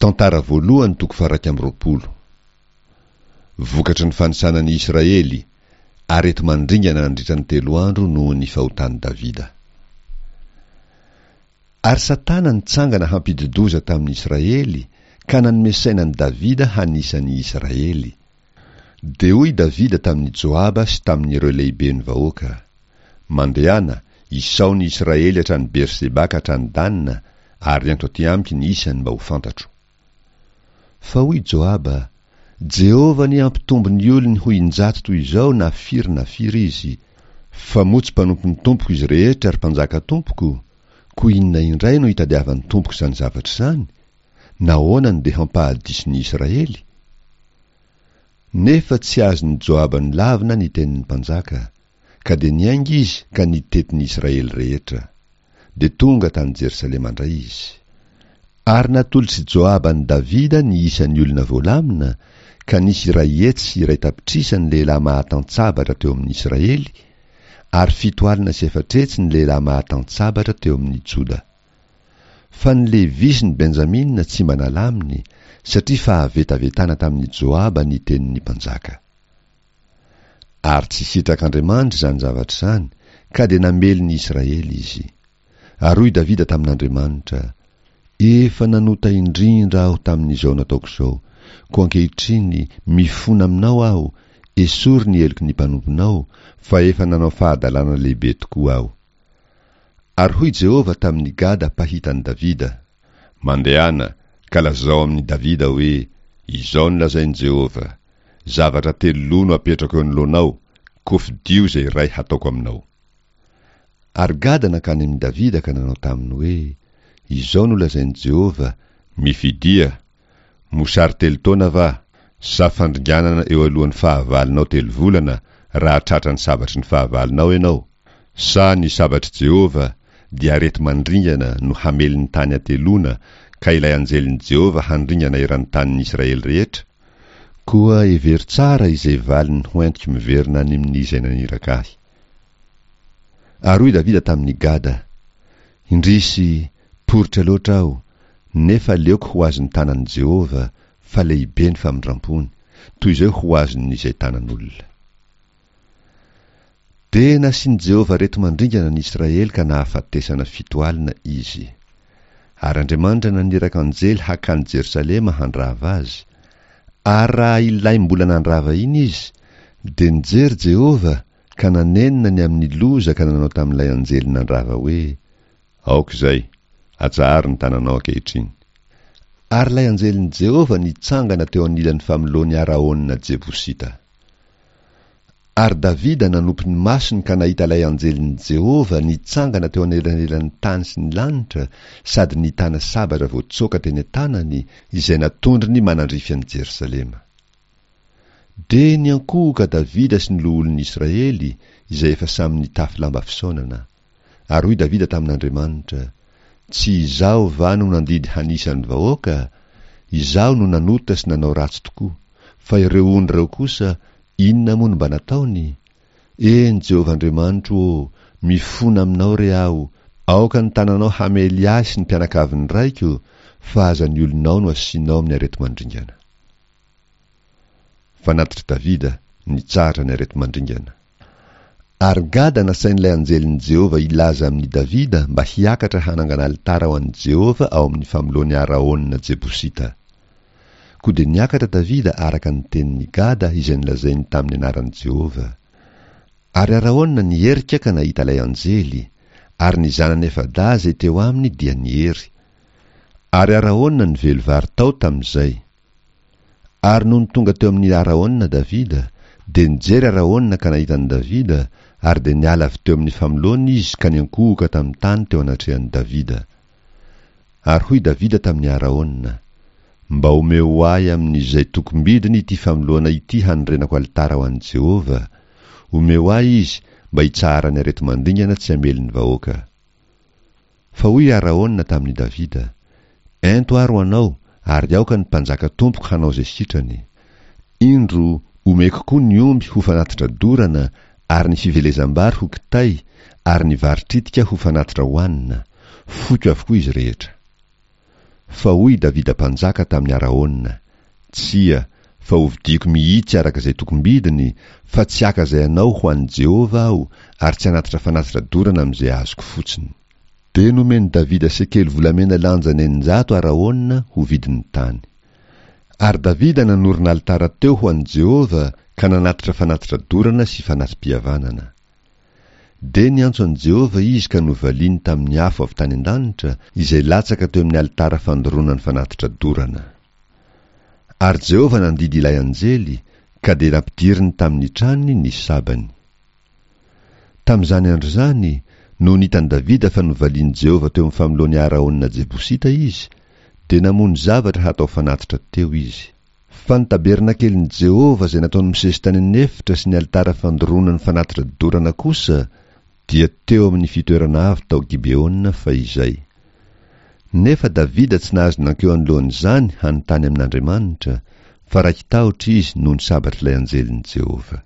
Tantara voalohany toko faha-21. Vokatry ny fanisana ny Israely, areti-mandringana nandritra ny telo andro noho ny fahotan'i Davida. Ary Satana nitsangana hampidi-doza tamin'ny Israely ka nanome saina an'i Davida hanisa ny Israely. Dia hoy Davida tamin'i Joaba sy tamin'ireo lehiben'ny vahoaka, Mandehana, isao ny Israely hatrany Berseba ka hatrany Dana, ary ento aty amiko ny isany mba ho fantatro. Fa hoy Joaba, Jehovah anie hampitombo ny olony ho injato toy izao na firy na firy izy, fa moa tsy mpanompon'ny tompoko izy rehetra, ry mpanjaka tompoko? Koa inona indray no itadiavan'ny tompoko izany zavatra izany? Nahoana no dia hampahadiso ny Israely? Nefa tsy azon'i Joaba nolavina ny tenin'ny mpanjaka, ka dia niainga izy ka nitety ny Israely rehetra. Dia tonga tany Jerosalema indray izy. Ary natolotr'i Joaba an'i Davida ny isan'ny olona voalamina, ka nisy 1100 ny lehilahy mahatan-tsabatra teo amin'ny Israely, ary 470 ny lehilahy mahatan-tsabatra teo amin'ny Joda. Fa ny Levy sy ny Benjamina tsy mba nalaminy, satria fahavetavetana tamin'i Joaba ny tenin'ny mpanjaka. Ary tsy sitrak'Andriamanitra izany zavatra izany, ka dia namely ny Israely izy. Ary hoy Davida tamin'Andriamanitra, Efa nanota indrindra aho tamin'izao nataoko izao, koa ankehitriny mifona aminao aho, esory ny heloky ny mpanomponao, fa efa nanao fahadalana lehibe tokoa aho. Ary hoy Jehovah tamin'i Gada mpahita an'i Davida, Mandehana, ka lazao amin'i Davida hoe, Izao no lazain'i Jehovah, Zavatra telo loha no apetrako eo anoloanao, koa fidio izay iray hataoko aminao. Ary Gada nankany amin'i Davida ka nanao taminy hoe, Izao no lazain'i Jehovah, Mifidia, Mosary telo taona va, sa fandringanana eo alohan'ny fahavalonao telo volana raha tratran'ny sabatry ny fahavalonao ianao? Sa ny sabatr'i Jehovah, dia areti-mandringana no hamely ny tany hateloana, ka ilay anjelin'i Jehovah handringana eran'ny tanin'ny Israely rehetra? Koa hevero tsara izay valiny hoentiko miverina any amin'izay naniraka ahy. Ary hoy Davida tamin'i Gada, Indrisy, poritra loatra aho, nefa aleoko ho azon'ny tanan'i Jehovah, fa lehibe ny famindram-pony, toy izay ho azon'izay tanan'olona. Dia nasian'i Jehovah areti-mandringana ny Israely ka nahafatesana 70 izy. Ary Andriamanitra naniraka anjely hakany Jerosalema handrava azy. Ary raha ilay mbola nandrava iny izy, dia nijery Jehovah ka nanenina ny amin'ny loza ka nanao tamin'ilay anjely nandrava hoe, Aoka izay, atsaharo ny tananao ankehitriny. Ary ilay anjelin'i Jehovah nitsangana teo anilan'ny famoloan'i Araona Jebosita. Ary Davida nanopy ny masony ka nahita ilay anjelin'i Jehovah nitsangana teo anelanelan'ny tany sy ny lanitra sady nitana sabatra voatsoaka teny an-tanany, izay natondrony manandrify an'i Jerosalema. Dia niankohoka Davida sy ny loholon'ny Israely, izay efa samy nitafy lamba fisaonana. Ary hoy Davida tamin'Andriamanitra, Tsy izaho va no nandidy hanisa ny vahoaka? Izaho no nanota sy nanao ratsy tokoa. Fa ireo ondry ireo kosa, inona moa no mba nataony? Eny, Jehovah Andriamanitro ô, mifona aminao re aho, aoka ny tananao hamely ahy sy ny mpianakavin'ny raiko, fa aza ny olonao no asianao amin'ny areti-mandringana. Fanatitr'i Davida, nitsahatra ny areti-mandringana. Ary Gada nasain'ilay anjelin'i Jehovah hilaza amin'i Davida mba hiakatra hanangana alitara ho an'i Jehovah ao amin'ny famoloan'i Araona Jebosita. Koa dia niakatra Davida araka ny tenin'i Gada izay nolazainy tamin'ny anaran'i Jehovah. Ary Araona niherika ka nahita ilay anjely, ary ny zanany efa-dahy izay teo aminy dia niery. Ary Araona nively vary tao tamin'izay. Ary nony tonga teo amin'i Araona Davida, dia nijery Araona ka nahita an'i Davida, ary dia niala avy teo amin'ny famoloana izy ka niankohoka tamin'ny tany teo anatrehan'i Davida. Ary hoy Davida tamin'i Araona, Mba omeo ahy amin'izay tokom-bidiny ity famoloana ity hanorenako alitara ho an'i Jehovah, omeo ahy izy mba hitsaharan'ny areti-mandringana tsy hamely ny vahoaka. Fa hoy i Araona tamin'i Davida, Ento ary ho anao, ary aoka ny mpanjaka tompoko hanao izay sitrany. Indro, omeko koa ny omby ho fanatitra dorana, ary ny fivelezam-bary ho kitay, ary ny vary tritika ho fanatitra hohanina. Foiko avokoa izy rehetra. Fa hoy i Davida mpanjaka tamin'i Araona, Tsia, fa hovidiako mihitsy araka izay tokom-bidiny, fa tsy haka izay anao ho an'i Jehovah aho, ary tsy hanatitra fanatitra dorana amin'izay azoko fotsiny. Dia nomen'i Davida sekely volamena lanjany 600 Araona ho vidin'ny tany. Ary Davida nanorina alitara teo ho an'i Jehovah ka nanatitra fanatitra dorana sy fanati-pihavanana. Dia niantso an'i Jehovah izy ka novaliany tamin'ny afo avy tany an-danitra, izay latsaka teo amin'ny alitara fandoroana ny fanatitra dorana. Ary Jehovah nandidy ilay anjely, ka dia nampidiriny tamin'ny tranony ny sabany. Tamin'izany andro izany, nony hitan'i Davida fa novalian'i Jehovah teo amin'ny famoloan'i Araona Jebosita izy, dia namono zavatra hatao fanatitra teo izy. Fa ny tabernakelin'i Jehovah izay nataon'i Mosesy tany an'efitra sy ny alitara fandoroana ny fanatitra dorana kosa dia teo amin'ny fitoerana avo tao Gibeona fahizay. Nefa Davida tsy nahazo nankeo anoloan'izany hanontany amin'Andriamanitra, fa raiki-tahotra izy noho ny sabatr'ilay anjelin'i Jehovah.